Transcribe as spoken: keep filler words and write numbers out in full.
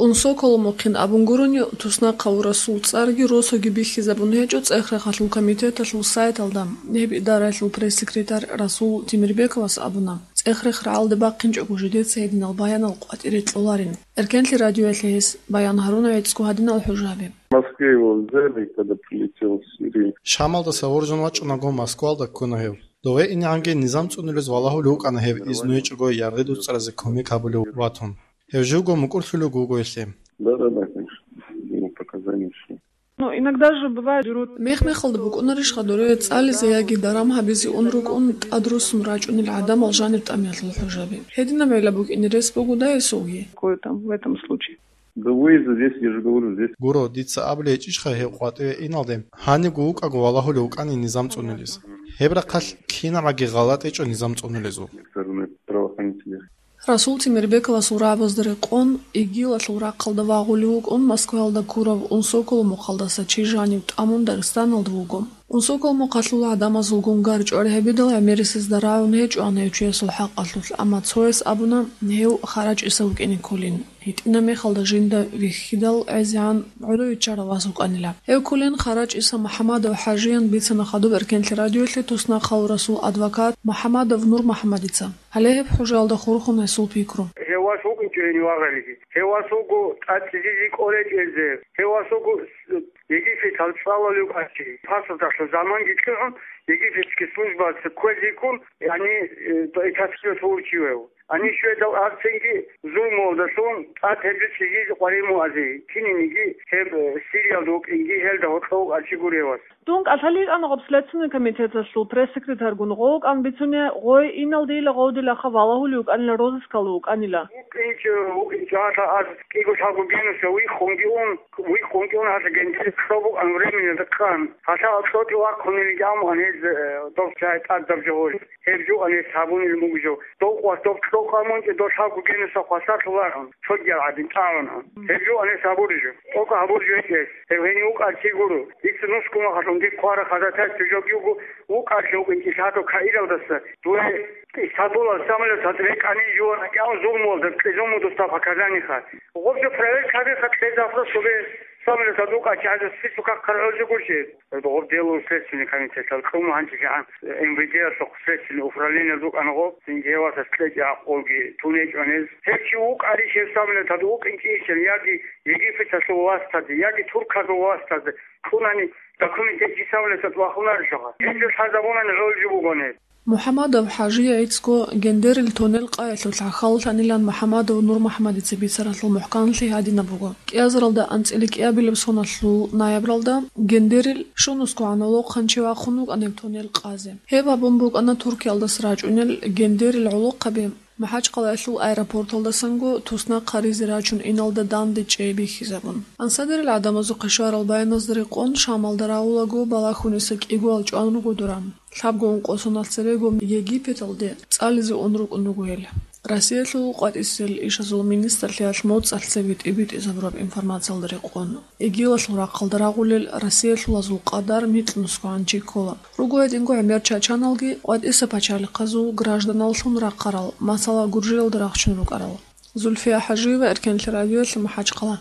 Унсоколомухъин абун гурони, туснахъав Расул цӀарги росуги бихьизабун гьечӀо ЦӀех-Рахъалъул комитеталъул сайталда. Гьеб идараялъул пресс-секретарь Расул Тимирбековас абуна, ЦӀех-Рахъ рагӀалде бахъинчӀого жидеца гьединал баянал къватӀире кьоларин. Эркенлъи радиоялъе гьес баян гьаруна гӀицӀго гьадинал хӀужаби. В Москве его взяли, когда прилетел из Сирии. Шамалдаса воржун вачӀунаго Москвалда ккуна гьев. Дове инегӀанги низам цӀунулез валагьулев вукӀана гьев, изну гьечӀого яргъи дуцӀаразе кумек гьабулев ватун. Гьев живго мукӀурлъулев вуго гьелъе. Да, да, да, конечно. Ему показания шли. Но иногда же бывает, берут... Мех-мехалда букӀунарищха доре цӀализе яги даран гьабизе ун рукӀун тӀадрусун рачӀунел гӀадамал жанир тӀамиялъул хӀужаби? Гьединаб гӀелаб букӀине рес бугодай гьесулги? Какое там в этом случае? Да выезда здесь, я же говорю, здесь. Гуро, дица абулей гьечӀищха гьев къватӀиве иналде, гьанивго вукӀаго валагьулев вукӀани низам цӀунулез. Гьеб рахъалъ кинабаги гъалатӀ гьечӀо низам цӀунулезул. Со стороны правоохранителей. Расул Тимирбековасул рагӀабазда рекъон, ИГИЛалъул рахъалда вагъулев вукӀун Москваялда ккурав Унсоколомухъалдаса чи жанив тӀамун Дагъистаналда вуго. Унсоколомухъалъул гӀадамазулгун гарчӀвар гьабидал гӀемерисезда рагӀун гьечӀоан гьев чиясул хӀакъалъулъ, амма цояс абуна, гьев ХарачӀиса вукӀине кколин. ГьитӀинаб мехалда жинда вихьидал гӀезегӀан гӀодов виччарав вас вукӀанила. Гьев кколин ХарачӀиса МухӀамадов ХӀажиян бицана хадуб Эркенлъи радиоялъе туснахъав Расул адвокат МухӀамадов Нурмухьамадица. Гьале гьеб хӀужаялда хурхун гьесул пикру. Гьев вас вукӀинчӀо гьенив вагъалиги. Гьев вас вуго тӀад цӀикӀкӀине кӀолечӀезе. Гьев вас вуго Египеталъ цӀалулев вукӀанчи. Пасулдалъун заманги кьигӀун, египетский службаялъе кквезейккун, гьаниб этапиялъ вурчивев. Гьанив щведал арцинги зулмуялдалъун тӀад гьеб жо цӀикӀкӀине къваригӀун вугони, кинабниги гьеб Сириялда вукӀинги гьелда гьоркьов вукӀанчи гури гьев вас. Дун кӀалъалин йикӀана гъоб Следственный комитеталъул пресс-секретарьгун гъов вукӀан бицунеб, гъой иналдейила гъовдилаха валагьулев вукӀанила, розыскалда вукӀанила. ВукӀинчӀо, вукӀинчӀо, гьалъа аз кӀиго-лъабго генуса виххунги ун, виххунги ун гьалъа гьениб кьо букӀан временилда къан. Гьалъа кьотӀи вахъунилги амуан гьез, э, доб чагӀи тӀадаб жо гьоркь. Гьеб жо ан гьес гьабунилан буго жо. Дов къвас доб кьо къан мунчӀи дов лъабго генуса хвасарлъулаан, цогиял гӀадин тӀагӀун. Гьеб жо ан гьес гьабури жо. ТӀокӀаб гьабур жо гьечӀес. Гьев гьенив вукӀанчи гуро. Дица нусго махалъ унги кквара хадатайс жо буго, вукӀанчи вукӀинчӀи лъадав Каиралдаса дуе Истамбулалъ самолеталда рекӀани жуван гьакӀан зулмуялда кьезун мун досда показаниха. Гъоб жо проверка гьабиха, кье запрос гьабе, самолеталда вукӀанчи гьаза списоках хъаргӀузе гурчи. Гъоб дело Следственный комитеталъ кьун гьанчи жагьан МВД-ялъухъ Следственный управлениялда вукӀана гъоб, цинги гьев васас кьечӀеб гӀакъубги тун гьечӀо гьез. Гьев чи вукӀарищ гьев самолеталда вукӀинчӀищан яги Египеталъул властазе, яги турказул властазе кьунани документ гьечӀищ самолеталда вахунарищха? Гьеб жо лъазабунани гӀоло жо бугони. МухӀамадов ХӀажие гӀицӀго Гендерил тонел къаялъулъ гӀахьаллъанилан МухӀамадов Нурмухьамадица бицаралъул мухӀканлъи гьадинаб буго. КӀиазаралда анцӀила кӀиабилеб соналъул ноябралда Гендерил щунусгогӀан гӀолохъанчи вахъун вукӀана гьеб тонел къазе. Гьеб абун букӀана Туркиялдаса рачӀунел Гендерил гӀолохъаби МахӀачкъалаялъул аэропорталдасанго туснахъ гьаризе рачун иналда данде чӀей бихьизабун. Ансадерил гӀадамазухъе щварал баяназда рекъон, Шамалда рагъулаго балагьуниса кӀигоял чӀван руго дора. Лъабго ункъо соналъ церего Египеталде цӀализе ун рукӀун руго гьел. Россиялъул къватӀисел ишазул министрлъиялъ моцӀалъ цебе тӀибитӀизабураб информациялда рекъон, ИГИЛалъул рахъалда рагъулел россиялъулазул къадар микьнусгогӀан чи ккола. Руго гьединго гӀемер чачаналги къватӀиса пачалихъазул гражданаллъун рахъарал, масала, Гуржиялда рахчун рукӀарал. Зульфия ХӀажиева, Эркенлъи радиоялъе, МахӀачкъала.